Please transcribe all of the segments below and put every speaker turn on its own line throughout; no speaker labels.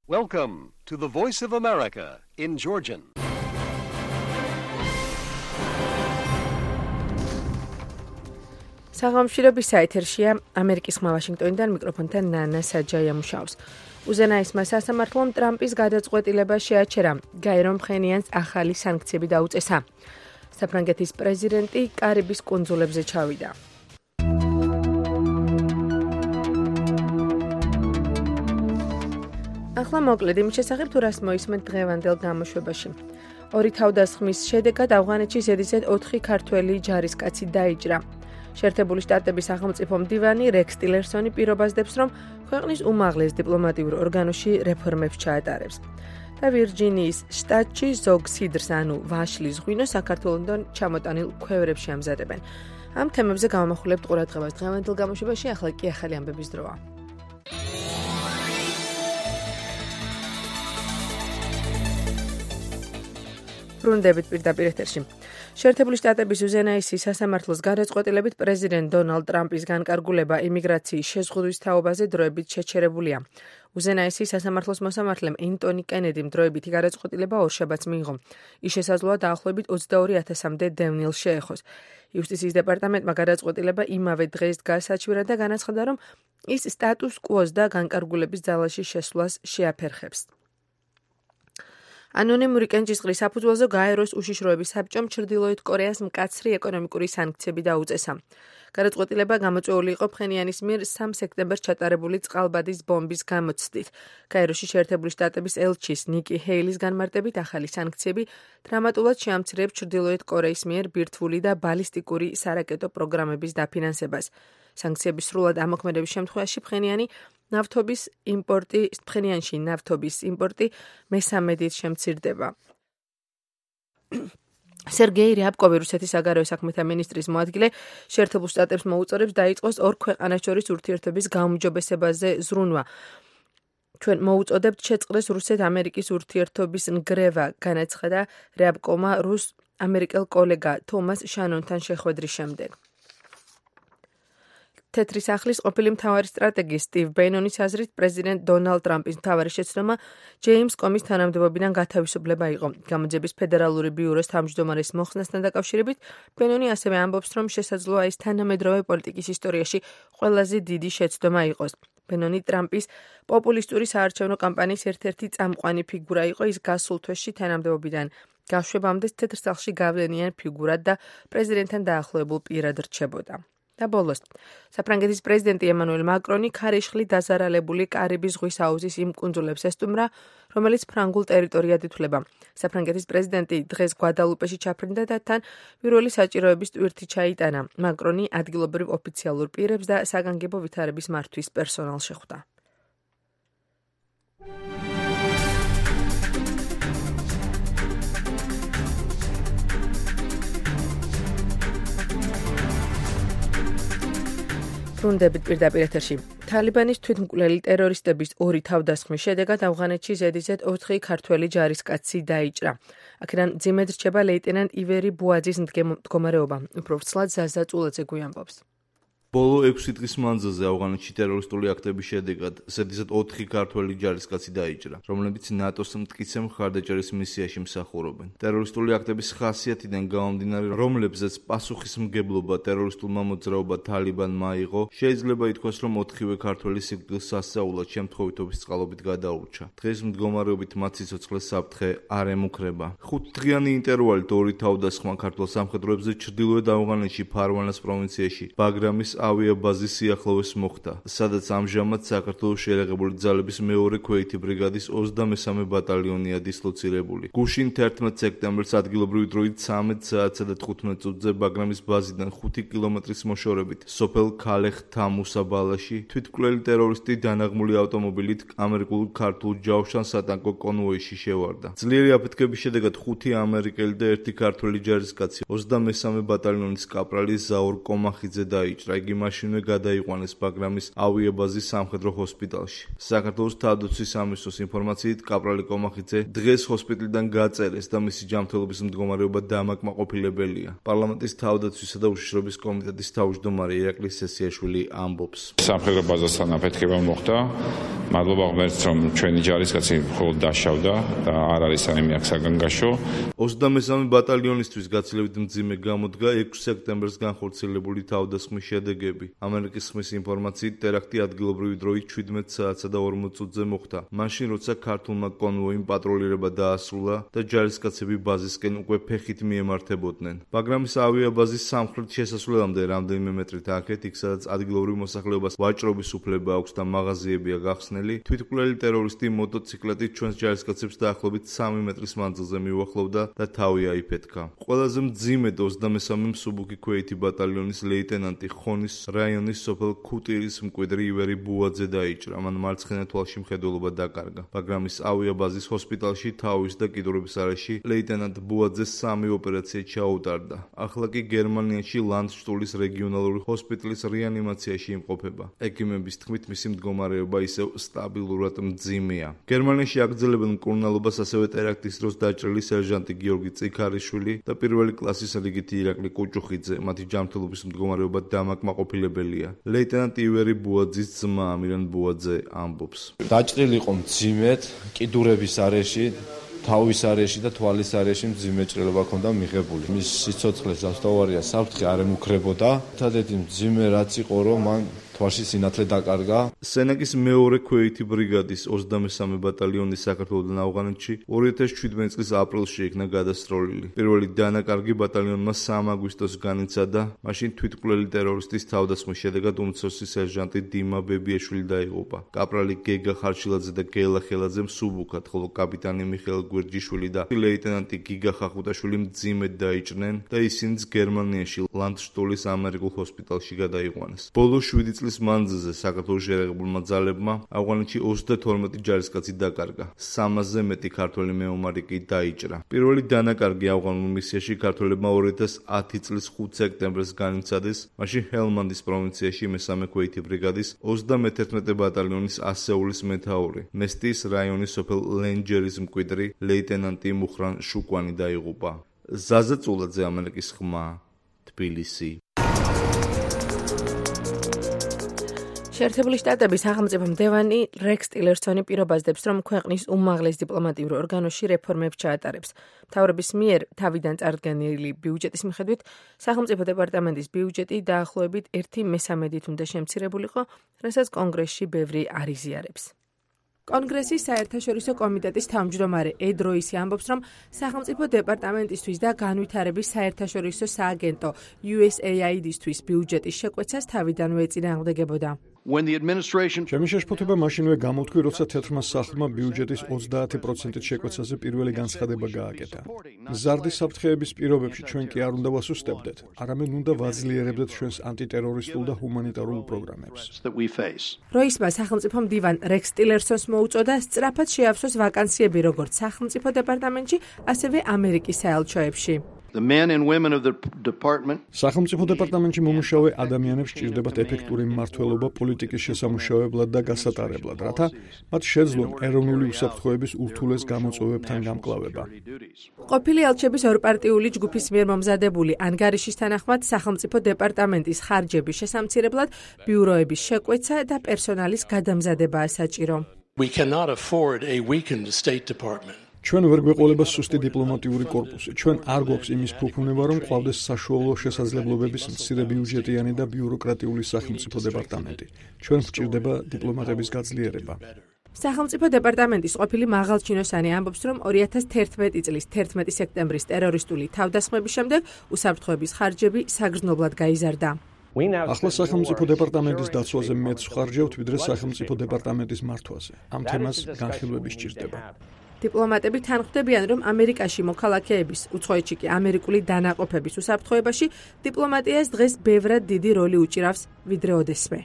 Welcome to the Voice of America in Georgian.
საღამოშირების საეთერშია ამერიკის ხმა ვაშინგტონიდან მიკროფონთან ნანა საჯაია მუშაობს. უზენაესმა სასამართლომ ტრამპის გადაწყვეტილება შეაჩერა, გაირო მხენიანს ახალი სანქციები დაუწესა. საფრანგეთის პრეზიდენტი კარიბის კუნძულებზე ჩავიდა. ახლა მოკლედ იმის შესახებ თუ რას მოისმენთ დღევანდელ გამოშვებაში. ორი თავდასხმის შედეგად ავღანეთში ზედიზედ 4 ქართველი ჯარისკაცი დაიჭრა. შეერთებული შტატების სახელმწიფო მდივანი რექს ტილერსონი პირობას დებს, რომ ქვეყნის უმაღლეს დიპლომატიურ ორგანოში რეფორმებს ჩაატარებს. და ვირჯინიის შტატში ზოგ სიდრს, ანუ ვაშლის ღვინოს საქართველოსთან ჩამოტანილ ქვევრებში ამზადებენ. ამ თემებზე გავამახვილებთ ყურადღებას დღევანდელ გამოშვებაში, ახლა კი ახალი ამბების დროა. ბრუნდებით პირდაპირ ეთერში. შეერთებული შტატების უზენაესი სასამართლოს გადაწყვეტილებით პრეზიდენტ დონალდ ტრამპის განკარგულება იმიგრაციის შეზღუდვის თაობაზე დროებით შეჩერებულია. უზენაესი სასამართლოს მოსამართლემ ენტონი კენედიმ დროებითი გადაწყვეტილება ორშაბათს მიიღო. ის შესაძლოა დაახლოებით 22,000-მდე დევნილს შეეხოს. იუსტიციის დეპარტამენტმა გადაწყვეტილება იმავე დღეს გაასაჩვირა და განაცხადა, რომ ის სტატუს კუოს და განკარგულების ძალაში შესვლას შეაფერხებს. ანონიმური კენჭისყრის საფუძველზე გაეროს უშიშროების საბჭომ ჩრდილოეთ კორეას მკაცრი ეკონომიკური სანქციები დაუწესა. გადაწყვეტილება გამოწვეული იყო ფხენიანის მიერ 3 სექტემბერს ჩატარებული წყალბადის ბომბის გამოცდით. გაეროში შეერთებული შტატების ელჩის ნიკი ჰეილის განმარტებით ახალი სანქციები დრამატულად შეამცირებს ჩრდილოეთ კორეის მიერ ბირთვული და ბალისტიკური სარაკეტო პროგრამების დაფინანსებას. სანქციების სრულად ამოქმედების შემთხვევაში ფხენიანში ნავთობის იმპორტი მესამედით შემცირდება. სერგეი რიაბკოვი, რუსეთის საგარეო საქმეთა მინისტრის მოადგილე, შეერთებულ შტატებს მოუწოდებს დაიწყოს ორ ქვეყანას შორის ურთიერთობის გაუმჯობესებაზე ზრუნვა. ჩვენ მოუწოდებთ შეწყდეს რუსეთ-ამერიკის ურთიერთობის ნგრევა, განაცხადა რიაბკოვმა რუს-ამერიკელ კოლეგა თომას შანონთან შეხვედრის შემდეგ. თეთრი სახლის ყოფილი მთავარი სტრატეგი სტივ ბენონის აზრით პრეზიდენტ დონალდ ტრამპის მთავარი შეცდომა ჯეიმს კომის თანამდებობიდან გათავისუფლება იყო. გამოძიების ფედერალური ბიუროს თავმჯდომარის მოხსნასთან დაკავშირებით ბენონი ასევე ამბობს, რომ შესაძლოა ეს თანამედროვე პოლიტიკის ისტორიაში ყველაზე დიდი შეცდომა იყოს. ბენონი ტრამპის პოპულისტური საარჩევნო კამპანიის ერთ-ერთი წამყვანი ფიგურა იყო. ის გასულ თვეში თანამდებობიდან გაშვებამდე თეთრ სახლში გავლენიან ფიგურად და პრეზიდენტთან დაახლოებულ პირად რჩებოდა. და ბოლოს, საფრანგეთის პრეზიდენტი ემანუელ მაკრონი ქარიშხლით დაზარალებული კარიბის ზღვის აუზის იმ კუნძულებს ესტუმრა, რომელიც ფრანგულ ტერიტორიად ითვლება. საფრანგეთის პრეზიდენტი დღეს გვადალუპეში ჩაფრინდა და თან პირველი საჭიროების ტვირთი ჩაიტანა. მაკრონი ადგილობრივ ოფიციალურ პირებს და საგანგებო ვითარების მართვის პერსონალს შეხვდა. ბრუნდებით პირდაპირ ეთერში. თალიბანის თვითმკვლელი ტერორისტების ორი თავდასხმის შედეგად ავღანეთში ზედიზედ 4 ქართველი ჯარისკაცი დაიჭრა. აქედან მძიმედ რჩება ლეიტენანტ ივერი ბუაძის მდგომარეობა. უფრო ვრცლად ზაზა წულაძე გვიამბობს.
ბოლო 6 დღის მანძილზე ავღანეთში ტერორისტული აქტების შედეგად ზედიზედ 4 ქართველი ჯარისკაცი დაიჭრა, რომლებიც ნატოს მტკიცე მხარდაჭერის მისიაში მსახურობენ. ტერორისტული აქტების ხასიათიდან გამომდინარე, რომლებზეც პასუხისმგებლობა ტერორისტულმა მოძრაობა თალიბანმა აიღო, შეიძლება ითქვას, რომ 4-ვე ქართველი სიკვდილს სასწაულად შემთხვევითობის წყალობით გადაურჩა. დღეს მდგომარეობით მათ სიცოცხლე საფრთხე არ ემუქრება. 5-დღიანი ინტერვალით ორი თავდასხმა ქართველ სამხედროებზე ჩრდილოეთ ავღანეთში ფარვანას პროვინციაში ბაგრამის ავიაბაზის სიახლოვეს მოხდა, სადაც ამჟამად საქართველოს შეიარაღებული ძალების მეორე ქვეითი ბრიგადის 23 ბატალიონია დისლოცირებული. გუშინ 11 სექტემბერს ადგილობრივი დროით 13 საათსა და 15 წუთზე ბაგრამის ბაზიდან 5 კილომეტრის მოშორებით სოფელ ქალეხ-თამუსა ბალაში თვითმკვლელი ტერორისტი დანაღმული ავტომობილით ამერიკულ ქართულ ჯავშან სატანკო კონვოიში შევარდა. ძლიერი აფეთქების შედეგად 5 ამერიკელი და 1 ქართველი ჯარისკაცი 23 ბატალიონის კაპრალი ზაურ კომახიძე დაიჭრა. იგი იგი მაშინვე გადაიყვანეს ბაგრამის ავიაბაზის სამხედრო ჰოსპიტალში. საქართველოს თავდაცვის სამინისტროს ინფორმაციით, კაპრალი კომახიძე დღეს ჰოსპიტალიდან გაწერეს და მისი ჯანმრთელობის მდგომარეობა დამაკმაყოფილებელია. პარლამენტის თავდაცვისა და უშიშროების კომიტეტის თავმჯდომარე ირაკლი სესიაშვილი ამბობს.
სამხედრო ბაზასთან აფეთქება მოხდა. მადლობა ღმერთს, რომ ჩვენი ჯარისკაცი მხოლოდ დაშავდა და არ არის საიმე აქ საგანგაშო.
23 ბატალიონისთვის გაცილებით მძიმე გამოდგა 6 სექტემბერს განხორციელებული თავდასხმის შედეგები. ამერიკის ხმის ინფორმაციით, ტერაქტი ადგილობრივი დროით 17 საათსა და 40 წუთზე მოხდა. მაშინ, როცა ქართულმა კონვოიმ პატროლირება დაასრულა და ჯარისკაცები ბაზისკენ უკვე ფეხით მიემართებოდნენ. ბაგრამის ავიაბაზის სამხრეთ შესასვლელამდე რამდენიმე მეტრით აქეთ, იქ სადაც ადგილობრივ მოსახლეობას ვაჭრობის უფლება აქვს და მაღაზიებია გახსნელი, თვითმკვლელი ტერორისტი მოტოციკლეტით ჩვენს ჯარისკაცებს დაახლოებით 3 მეტრის მანძილზე მიუახლოვდა და თავი აიფეთქა. ყველაზე მძიმედ 23 მსუბუქი ქვეითი ბატალიონის ლეიტენანტი ხონის რაიონის სოფელ ქუტირის მკვიდრი ივერი ბუაძე დაიჭრა. მან მარცხენა თვალში მხედველობა დაკარგა. ბაგრამის ავიაბაზის ჰოსპიტალში თავის და კიდურების არეში ლეიტენანტ ბუაძეს 3 ოპერაცია ჩაუტარდა. ახლა კი გერმანიაში ლანდშტულის რეგიონალური ჰოსპიტალის რეანიმაციაში იმყოფება. ექიმების თქმით, მისი მდგომარეობა ისევ სტაბილურად მძიმეა. გერმანიაში აგრძელებენ მკურნალობას ასევე ტერაქტის დროს დაჭრილი სერჟანტი გიორგი წიქარიშვილი და პირველი კლასის რიგითი ირაკლი კუჭუხიძე. მათი ჯანმრთელობის მდგომარეობა დამაკმაყოფილებელია. ლეიტენანტ ივერი ბუაძის ძმა ამირან ბუაძე ამბობს.
დაჭრილი იყო მძიმედ, კიდურების არეში, თავის არეში და თვალის არეში მძიმე ჭრილობა ჰქონდა მიღებული. მის სიცოცხლეს ზუსტავარია საფრთხე არ ემუქრებოდა. ერთადერთი მძიმე რაც იყო, რომ მან თვალში სინათლე დაკარგა.
სენაკის მეორე ქვეითი ბრიგადის 23 ბატალიონის საქართველოსთან ავღანეთში 2017 წლის ապრილში იქნა გადასროლილი. პირველი დანაკარგი ბატალიონმა 3 აგვისტოს განიცადა. მაშინ თვითმკვლელი ტერორისტის თავდასხმის შედეგად უმცროსი სერჟანტი დიმა ბებიაშვილი დაიღუპა. კაპრალი გეგა ხარშილაძე და გელა ხელაძე მსუბუქად, ხოლო კაპიტანი მიხეილ გვერჯიშვილი და ლეიტენანტი გიგა ხახუტაშვილი მძიმედ დაიჭრნენ და ისინიც გერმანიაში ლანდშტულის ამერიკულ ჰოსპიტალში გადაიყვანეს. ბოლო 7 წლის მანძილზე საქართველოს შეერაღებულმა ძალებმა ავღანეთში 32 ჯარისკაცი დაკარგა. 300-ზე მეტი ქართველი მეომარი კი დაიჭრა. პირველი დანაკარგი ავღანურ მისიაში ქართველებმა 2010 წლის 5 სექტემბერს განიცადეს. მაშინ ჰელმანდის პროვინციაში მესამე ქვეითი ბრიგადის 31 ბატალიონის ასეულის მეთაური, მესტიის რაიონის სოფელ ლენჯერის მკვიდრი ლეიტენანტი მუხრან შუკვანი დაიღუპა. ზაზა წულაძე, ამერიკის ხმა, თბილისი.
შეერთებული შტატების სახელმწიფო მდივანი რექს ტილერსონი პირობაზდებს, რომ ქვეყნის უმაღლეს დიპლომატიურ ორგანოში რეფორმებს ჩაატარებს. მთავრობის მიერ თავიდან წარდგენილი ბიუჯეტის მიხედვით, სახელმწიფო დეპარტამენტის ბიუჯეტი დაახლოებით 1/3-ით უნდა შემცირებულიყო, რასაც კონგრესში ბევრი არ იზიარებს. კონგრესის საერთაშორისო კომიტეტის თავმჯდომარე ედ როისი ამბობს, რომ სახელმწიფო დეპარტამენტისთვის და განვითარების საერთაშორისო სააგენტო USAID-ისთვის ბიუჯეტის შეკვეცას თავიდანვე ეწინააღმდეგებოდა.
ჩემი შეშფოთება მაშინვე გამოთქვი, როცა თეთრმა სახლმა ბიუჯეტის 30%-ით შეკვეცაზე პირველი განცხადება გააკეთა. მზარდი საფრთხეების პირობებში ჩვენ კი არ უნდა ვასუსტებდეთ, არამედ უნდა ვაძლიერებდეთ ჩვენს ანტიტერორისტულ და ჰუმანიტარულ პროგრამებს.
როისმა სახელმწიფო მდივან რექს ტილერსონს მოუწოდა სწრაფად შეავსოს ვაკანსიები როგორც სახელმწიფო დეპარტამენტში, ასევე ამერიკის საელჩოებში.
სახელმწიფო დეპარტამენტში მომუშავე ადამიანებს სჭირდებათ ეფექტური მმართველობა პოლიტიკის შესამუშავებლად და გასატარებლად, რათა მათ შეძლონ ეროვნული უსაფრთხოების ურთულეს გამოწვევებთან გამკლავება.
ყოფილი ელჩების ორპარტიული ჯგუფის მიერ მომზადებული ანგარიშის თანახმად სახელმწიფო დეპარტამენტის ხარჯების შესამცირებლად ბიუროების შეკვეცა და პერსონალის გადამზადებაა საჭირო.
ჩვენ ვერ გვეყოლება სუსტი დიპლომატიური კორპუსი. ჩვენ არ გვაქვს იმის ფუფუნება, რომ ყავდეს საშუალო შესაძლებლობების მცირე ბიუჯეტიანი და ბიუროკრატიული სახელმწიფო დეპარტამენტი. ჩვენ გვჭირდება დიპლომატების გაძლიერება.
სახელმწიფო დეპარტამენტის ყოფილი მაღალჩინოსანი ამბობს, რომ 2011 წლის 11 სექტემბრის ტერორისტული თავდასხმების შემდეგ უსაფრთხოების ხარჯები საგრძნობლად გაიზარდა.
ახლა სახელმწიფო დეპარტამენტის დაცვაზე მეც ვხარჯევთ, ვიდრე სახელმწიფო დეპარტამენტის მართვაზე. ამ თემას განხილვები სჭირდება.
დიპლომატები თანხმდებიან, რომ ამერიკაში მოქალაქეების, უცხოეთში კი ამერიკული დანაყოფების უსაფრთხოებაში დიპლომატიას დღეს ბევრად დიდი როლი უჭირავს, ვიდრე ოდესმე.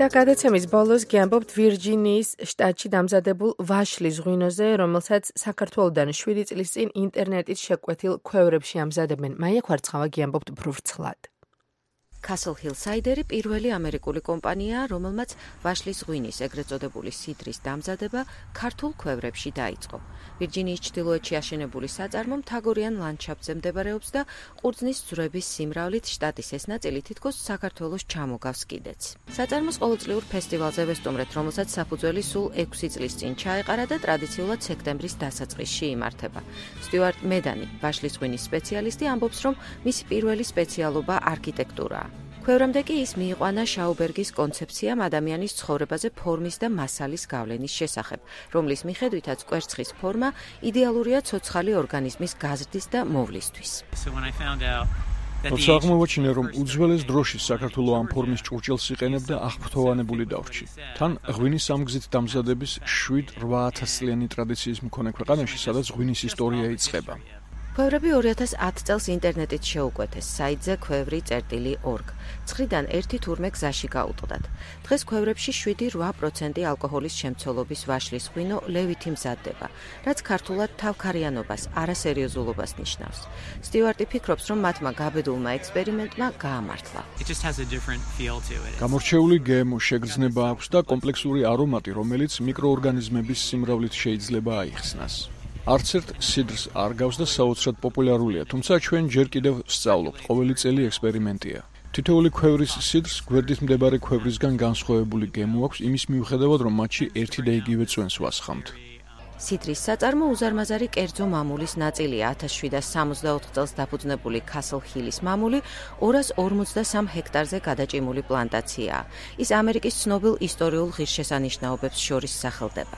და გადაცემის ბოლოს გიამბობთ ვირჯინიის შტატში დამზადებულ ვაშლის ღვინოზე, რომელსაც საქართველოდან 7 წლის წინ ინტერნეტით შეკვეთილ ქვევრებში ამზადებენ. მაია ხვარცხავა გიამბობთ ბრურცლად.
Castle Hill Cider-ი პირველი ამერიკული კომპანიაა, რომელმაც ვაშლის ღვინის, ეგრეთ წოდებული სიდრის დამზადება ქართულ ქვევრებში დაიწყო. ვირჯინიის ჩრდილოეთში აშენებული საწარმო მთაგორიან ლანდშაფტზე მდებარეობს და ყურძნის ძვრების სიმრავლით შტატის ეს ნაწილი თითქოს საქართველოს ჩამოგავს კიდეც. საწარმოს ყოველწლიურ ფესტივალზე ვესტუმრეთ, რომელსაც საფუძველი სულ 6 წლის წინ ჩაეყარა და ტრადიციულად სექტემბრის დასაწყისში იმართება. სტიუარტ მედანი, ვაშლის ღვინის სპეციალისტი, ამბობს, რომ მისი პირველი სპეციალობა არქიტექტურაა. ქვევრამდე კი ის მიიყვანა შაუბერგის კონცეფციამ ადამიანის ცხოვრებაზე ფორმის და მასალის გავლენის შესახებ, რომლის მიხედვითაც კვერცხის ფორმა იდეალურია ცოცხალი ორგანიზმის გაზრდის და მოვლისთვის.
როცა აღმოვაჩინე, რომ უძველეს დროში საქართველოს ამ ფორმის ჭურჭელს იყენებდა, აღფრთოვანებული დავრჩი. თან ღვინის ამგზით დამზადების 7-8 წლიანი ტრადიციის მქონე ქვეყანაში, სადაც ღვინის ისტორია იწყება.
ქვევრები 2010 წელს ინტერნეტით შეუკვეთეს საიტზე kvevri.org. 9-დან 1 თურმე გზაში გაუტყდათ. დღეს ქვევრებში 7-8% ალკოჰოლის შემცველობის ვაშლის ღვინო ლევითი მზადდება, რაც ქართულად თავქარიანობას, არასერიოზულობას ნიშნავს. სტიუარტი ფიქრობს, რომ მათმა გაბედულმა ექსპერიმენტმა გაამართლა.
გამორჩეული გემო შეგრძნება აქვს და კომპლექსური არომატი, რომელიც მიკროორგანიზმების სიმრავლით შეიძლება აიხსნას. არც ერთ სიდრს არ გავს და საოცრად პოპულარულია, თუმცა ჩვენ ჯერ კიდევ ვსწავლობთ, ყოველი წელი ექსპერიმენტია. თითოეული ქვევრის სიდრს გვერდით მდებარე ქვევრისგან განსხვავებული გემო აქვს, იმის მიუხედავად, რომ მათში ერთი და იგივე წვენს ვასხამთ.
სიდრის საწარმო უზარმაზარი კერძო მამულის ნაწილია. 1764 წელს დაფუძნებული Castle Hill-ის მამული 253 ჰექტარზე გადაჭიმული პლანტაციაა. ის ამერიკის ცნობილ ისტორიულ ღირსშესანიშნაობებს შორის სახელდება.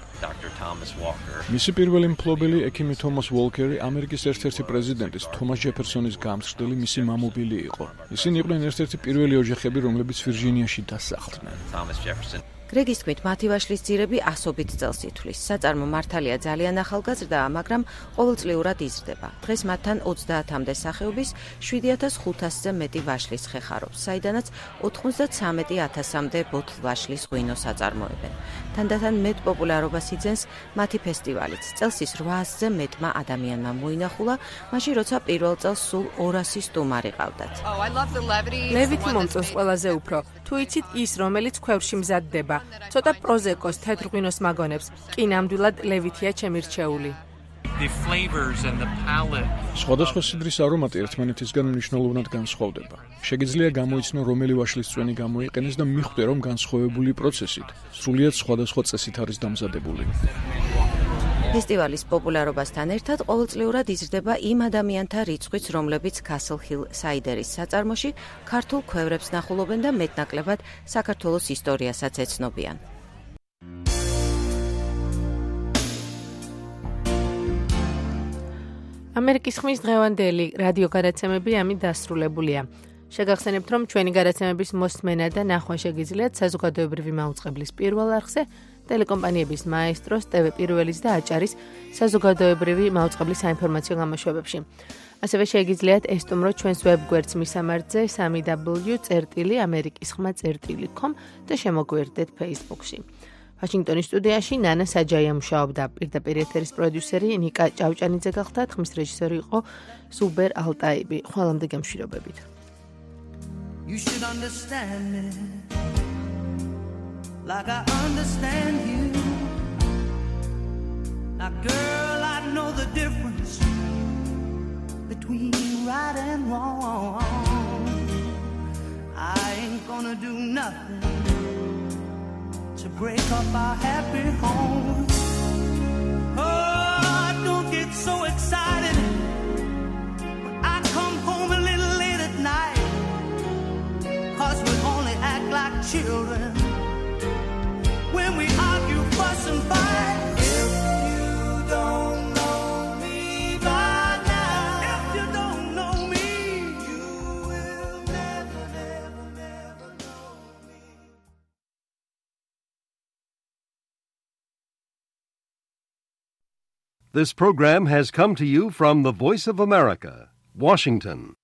მისი პირველი მფლობელი ექიმი თომას უოლკერი ამერიკის ერთ-ერთი პრეზიდენტის თომას ჯეფერსონის გამსხდელი მისი მამობილი იყო. ისინი იყვნენ ერთ-ერთი პირველი ოჯახები, რომლებიც ვირჯინიაში დასახლდნენ.
გრეგის თქმით, მათი ვაშლის ძირები ასობით წელს ითვლის. საწარმო მართალია ძალიან ახალგაზრდაა, მაგრამ ყოველწლიურად იზრდება. დღეს მათთან 30-მდე სახეობის 7500-ზე მეტი ვაშლის ხე ხარობს, საიდანაც 93,000-მდე ბოთლ ვაშლის ღვინოს აწარმოებენ. თანდათან მეტ პოპულარობას იძენს მათი ფესტივალიც. წელს ის 800-ზე მეტმა ადამიანმა მოინახულა, მაშინ როცა პირველ წელს სულ 200 სტუმარი ყავდათ.
ლევითი მომწონს ყველაზე უფრო. თუ იცით ის, რომელიც ქვევრში მზადდება, ცოტა პროზეკოს თეთრ ღვინოს მაგონებს, კი ნამდვილად ლევითია ჩემი რჩეული.
სხვადასხვა სიდრის არომატი ერთმანეთისგან მნიშვნელოვნად განსხვავდება. შეგიძლია გამოიცნო, რომელი ვაშლის წვენი გამოიყენეს და მიხვდე, რომ განსხვავებული პროცესით, სრულიად სხვადასხვა წესით არის დამზადებული.
ფესტივალის პოპულარობასთან ერთად ყოველწლიურად იზრდება იმ ადამიანთა რიცხვიც, რომლებიც Castle Hill Cider-ის საწარმოში ქართულ ქვევრებს ნახულობენ და მეტნაკლებად საქართველოს ისტორიასაც ეცნობიან.
ამერიკის ხმის დღევანდელი რადიო გადაცემები ამით დასრულებულია. შეგახსენებთ, რომ ჩვენი გადაცემების მოსმენა და ნახვა შეგიძლიათ საზოგადოებრივი მაუწყებლის პირველ არხზე, ტელეკომპანიების მაესტროს, TV პირველის და აჭარის საზოგადოებრივი მაუწყებლის საინფორმაციო გამოშვებებში. ასევე შეგიძლიათ ესტუმროთ ჩვენს ვებგვერდს მისამართზე www.amerikiskhma.com და შემოგვიერთდეთ Facebook-ში. ვაშინგტონის სტუდიაში ნანა საჯაია მუშაობდა, პირდაპირ ეთერის პროდიუსერი ნიკა ჭავჭანიძე გახდა, ხმის რეჟისორი იყო ზუბერ ალტაიბი. ხვალამდე გემშვიდობებით. You should understand me like I understand you. Now girl, I know the difference between right and wrong. I ain't gonna do nothing to break up our happy home. Oh, don't get so excited when I come home a little late at night, 'cause we only act like children when we argue, fuss and fight. If you don't know me by now, if you don't know me, you will never, never, never know me.
This program has come to you from the Voice of America, Washington.